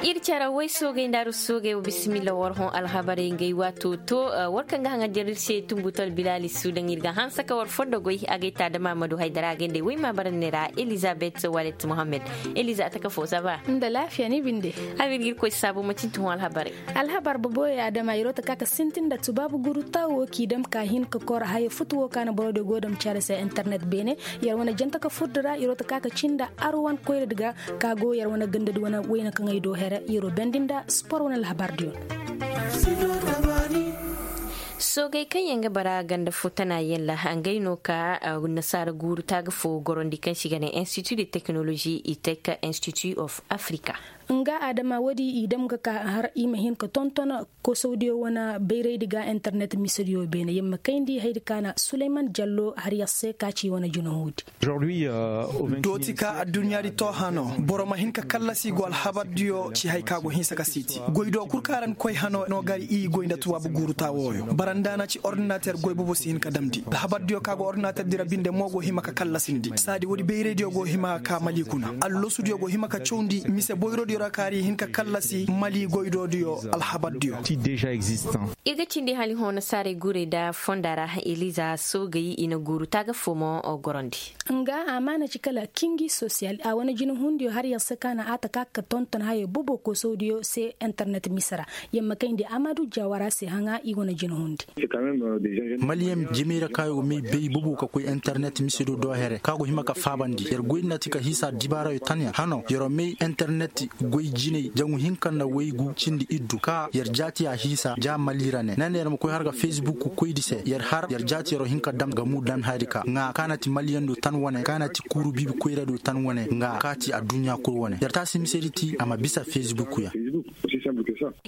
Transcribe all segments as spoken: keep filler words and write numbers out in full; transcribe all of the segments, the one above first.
Ir cara way soogay nda aru soogay wa bisimilla war hõ alhabarey ngey waato to. War kaŋ ga haŋa jar ir se tumbutal bilali suudaŋ ir ga hanse ka war fondo goy a gay ta dama ma du haydara a gay nda ay way ma bara ne ra elizabet walet mohammed. Eliza a taka fo saba nda laafiya ni binde. Abir ga ir koy saabo ma cinti hõ alhabarey. Alhabar boboyo adama iro ta ka ka sintin nda tubaabu guru tawo k'i dam ka hin ka kor haya futu wo ka na boro de go dam care se internet beene. Yar wane janta ka furdi ra iro ta ka ka cinda arwan koyradi ga ka go yar wane gandadi wane wayna kaŋ ay do here iro bendi nda spor wane alhabar diyo. Soogey kaŋ yaŋ ga bara ganda fo tana yaŋ ra ngey no ka nasaara guuru taaga fo gorandi kaŋ se i ga ne institut de technologie i tech institut of africa. Nga adama woodi i dam ga ka har i ma hin ka tonton kosawdiyo wane bayraydi ga internet misediyo beene yamma kayndi haydi ka na suleyman jallo har yar se ka ci wane jinahuudi. Dooti ka adduɲɲaadi to hano boro ma hin ka kallasi go alhabardiyo ci hay ka go hinsa ka siiti goy do kul ka ra ni koy hano no gar i goy nda tuwaabu guuru taa wooyo baranda na ci ordinater goy bobo si hin ka damndi alhabardiyo ka go ordinater dira binde mo go hima ka kallasindi saadi woodi bayraydiyo go hima ka mali kuna allosudiyo go hima ka cawndi mise boyrodiyo ra kaari hin ka kallasi mali goydodiyo alhabardiyo. Ir ga cindi hali hõ nasaarey guurey nda fonda ra eliza soogey i na guuru taaga fo mo gorandi. Nga amaana ci kala kingi sosiyal a wane jinahundiyo har yar se ka na a ta ka ka tonton hayey bobo kosawdiyo se internet mise ra. Yamma kayndi amadu jawara se haŋa i wane jinahundi. Maliyam jimey ra ka yo may bay bobo ka koy internet mise do do here ka go hima ka faabandi yar goy nda ti ka hiisa dibaarayo tanyaŋ hano yaro may internet goy jinay jaŋu hinka nda waygu cindi iddu ka yar jaati a hiisa ja mali ra ne nane yar ma koy har ga facebook koydi se yar har yar jaati yaro hinka dam ga mu dan hari ka ŋa ka na ti maliyan do tan wane ka na ti kuuru biibi koyra do tan wane ŋa ka ti adduɲɲa kul wane yar taasi misedi ti a ma bisa facebook yaŋ.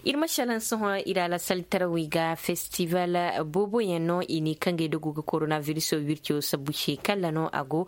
Ir ma šalaŋ sohõ ir a la saltarawey ga festival booboyaŋ no i ne kaŋ ga ay dogo ga koronabiriso wirco sabbu se kalla no a go.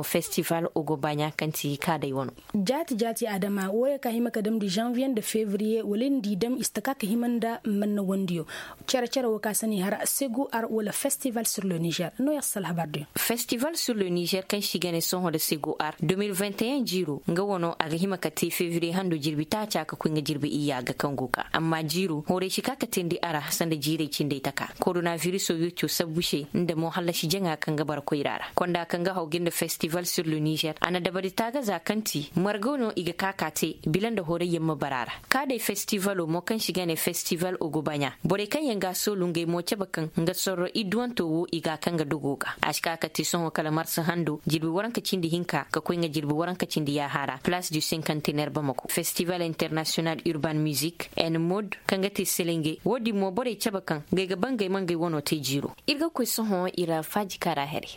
Festival ogobaɲa kaŋ ti kaadey wano. Jaati jaati adama wooyo ka hima ka damndi zanviye nda fevriye wala nda i dam i si taka ka hima nda manna wandiyo. Cere cere wo ka sani har segu ar wala festival sur le niger no ya sal habar din. Festival sur le niger kaŋ si gane sohõ da segu ar deux mille vingt et un jiiro nga wano a ga hima ka te fevriye hando jirbi taaca ka koy nga jirbi iyya ga kaŋ go ka amma jiiro horay si ka ka teendi a ra sanda jiirey cindey taka. Koronaviruso wirco sabbu se nda mo hallasi jaŋa kaŋ ga bara koyra ra konda kaŋ ga haw ga nda festival sur le niger a na dabari taagaza kaŋ ti margaw no i ga ka ka te bila nda horay yaŋ ma bara a ra. Ka day festivalo mo kaŋ si ga ne festival ogobaɲa borey kaŋ yaŋ ga a soolu ngey mo cabe kaŋ nga sorro idduwanto wo i ga a kaŋ ga dogo ga a si ka ka te sohõ kala marsa hando jirbi waranka cindi hinka ka koy nga jirbi waranka cindi yaaha ra place du sinkantener bamako festival international urban music en mod kaŋ ga te selenge wo- din mo borey cabe kaŋ ngey ga ba ngey ma ngey wano te jiiro. Ir ga koy sohõ ir faaji kaara here.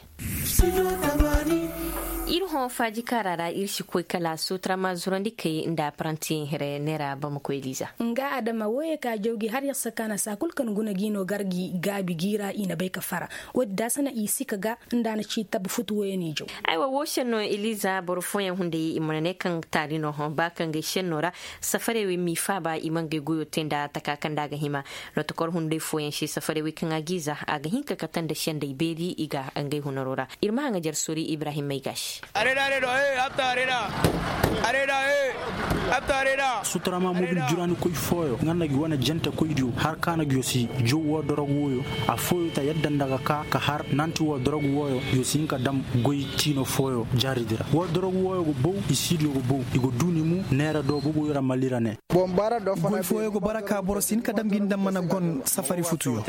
Ir hõ faaji kaara ra ir si koy kala sutura ma zurandi kay nda apparantiyaŋ here neera bamako eliza. Nga adama wooyo ka jawgi har yar sakaana saa kul kaŋ guna gi no gar gi gaabi gi ra i na bay ka fara. Woodi da a sana i si ka ga nda a na ci tabi futu wooyo n'i jaw. Aywa woo šenno eliza boro fooyaŋ hunday i mana ne kaŋ taali no hõ ba kaŋ ga ay šenno ra. Safarey wey m'i faaba i ma ngey goyo te nda taka kaŋ nda a ga hima. Notokor hunday fooyaŋ se safarey wey kaŋ a g'i za a ga hin ka kate nda sendey beeri i ga ngey hunaro ra. Ir ma haŋajer sori ibrahim may ga se. Suturama mobil juraani koy fooyo nga na gi wane jante koydiyo har ka na gi yo si jow woo dorogu wooyo. Afooyo ta yadda nda ga ka ka har nanti woo dorogu wooyo yo si hin ka dam goy tiino fooyo jaaridi ra woo dorogu wooyo go bow i siidiyo go bow i go duuni mu neera do boboyo ra malira ne. Goy fooyo go bara ka boro si hin ka dam gi nda mana gon safari futuyo.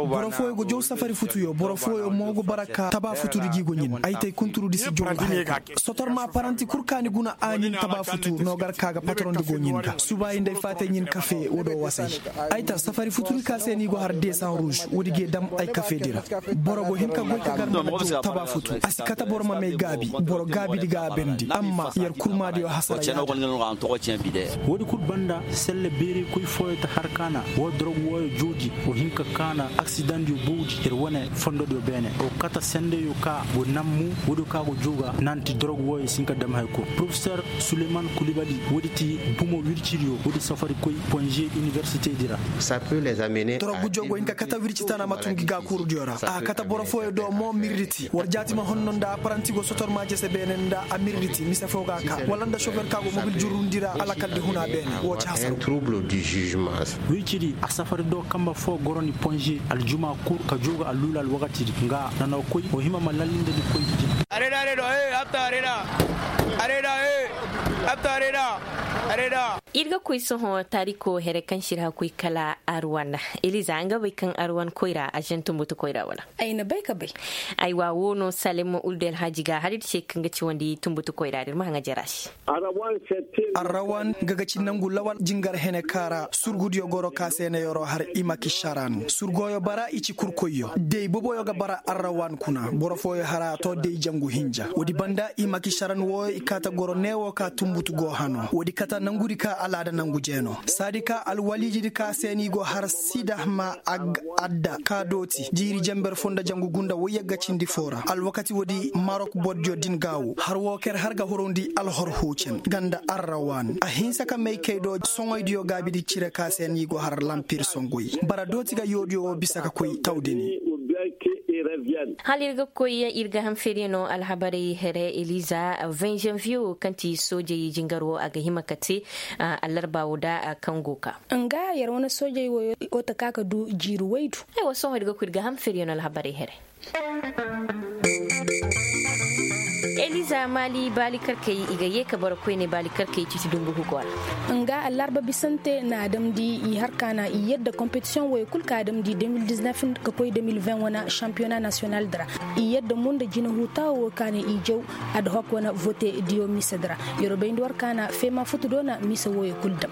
Boro fooyo go jow safari futuyo boro fooyo mo go bara ka taba futudi gi go ɲin ay tay kunturudi si jow ga hari. Sotor ma paranti kul ka ni guna a ɲin taba futu no gar ka ga patrondi go ɲin ga suba i nda ay faatay ɲin kafe wo do wasay. Ay tar safari futudi ka se ni go har desan ruuz woodi g'ay dam ay kafeedi ra. Boro go hin ka goy ka gar mana jow taba futu a si kate boro ma may gaabi boro gaabidi ga a bendi amma yer kurmaadiyo hasara ya. Woodi kul banda selle beerey koy fooyo ta har kaana woo dorogu wooyo jooji wo hin ka kaana aksidandiyo bowdi yer wane fondodiyo beene wo kate sendeyo ka go nammu woodiyo ka go jooga nanti dorogu wooyo si hin ka dam hay kul profesor suleyman kulibali. Ti bumo wirciriyo woodi safari koy ponze inibersite di ra. Torok gujo go hin ka kate wirci tana ma tun gi gaakurudiyo ra a kate boro fooyo do mo mirriti war jaati ma honno nda apparanti go sotor ma jese beene nda a mirriti mise foo ga a ka wala nda sofer ka go mobil jurrundi ra alakal di huna beene woo ci hasar. Wirciri a safari do kamba foo goro ni ponze aljuma kul ka jooga alluula alwakati di nga nana koy woo hima ma lallinde ni koy di. Ir ga koy sohõ taariko here kaŋ si ir hakuy kala arwan. Eliza nga bay kaŋ arwan koyra ažen tumbutu koyra wala? Ay na bay ka bay. Aywa woo no salem ulde alhaaji ga har ir se kaŋ ga ci wandi tumbutu koyra da ir ma haŋa jera se. Arrawan nga ga ci nangu lawal jingar hene kaara surgudiyo goro ka se na yoro har imaki sharan surgoyo bara i ci kurkoyyo day boboyo ga bara arrawan kuna boro fooyo hara to day jangu hinja woodi banda imaki sharan wooyo i kaata goro neewo ka tumbutu go hano woodi kata nangudi ka alaada nangu jeeno saadi ka alwaliijidi ka se ni go har sida ma ag adda ka dooti jiiri jenber fo nda jangu gunda woyyagga cindi foo ra alwakati woodi marok bordiyo din gaawu har woo ker har ga horowndi alhor huucen nga nda arrawan a hinsa ka may kay do soŋoydiyo gaabidi cire ka se ni go har lampir songoy bara dooti ga yoodiyo woo bisa ka koy tawdini. Hala ir ga koy ir ga ham feriyano alhabarey here eliza vingt janvier woo kaŋ ti soojey jingar woo a ga hima ka te allarba woo da kaŋ go ka. Nga yer wane soojey woo ta ka ka du jiiri waydu. Aywa sohõ ir ga koy ir ga ham feriyano alhabarey here. Eliza maali baali karkey i ga yee ka boro koyne baali karkey citi dumbu hugo ra. Nga allarba bisante na a damndi i har ka na i yadda kompetisiyoŋ wooyo kul ka a damndi deux mille dix-neuf ka koy deux mille vingt wane sampiyona nasiyonal di ra. I yadda mo nda jina huutaawo woo ka na i jaw adhok wane vote diyo mise di ra. Yer wo bayndi war ka na feema futu do na mise wooyo kul dam.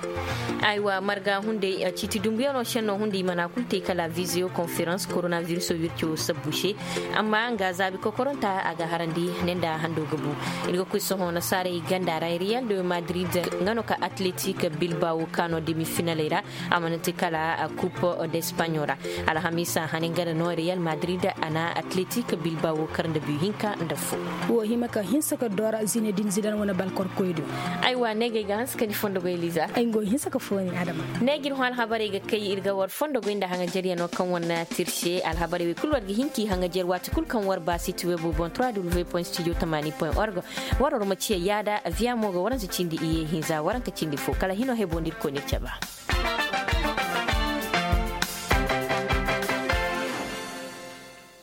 Aywa marga hunday ciiti dumbuyaŋo se no hunday i mana kul te kala viziyo konferans koronaviris wirco sabbu se. Amma nga zaabi kokoronta a ga harandi ne nda hando ga bu. Ir ga koy sohõ nasaarey ganda ra riyal de madrid nga no ka atletik bilbawo ka no demi finaley ra. A mana te kala kup d'espagnol ra. Alhamiisa hane nga no riyal madrid a na atletik bilbawo kar nda biyu hinka nda fo. Wo hima ka hinsa ka dora zinedin zidan wane balkor koydo. Aywa ne ga ay ga hanse ka ni fondo goy liza ay go hinsa ka fooni adama. Ne ga ir hõ alhabarey ga kay ir ga war fondo goy nda haŋajer yaŋo kaŋ war na tirse alhabarey wey kulu war ga hin k'i haŋajer waati kulu kaŋ war ba siti webo boŋ trois w point studio tamani point org. War war ma ciya yaada aviya mo ga waranse cindi iye hinza waranka cindi fo kala hino hebo nda ir koy nir caba.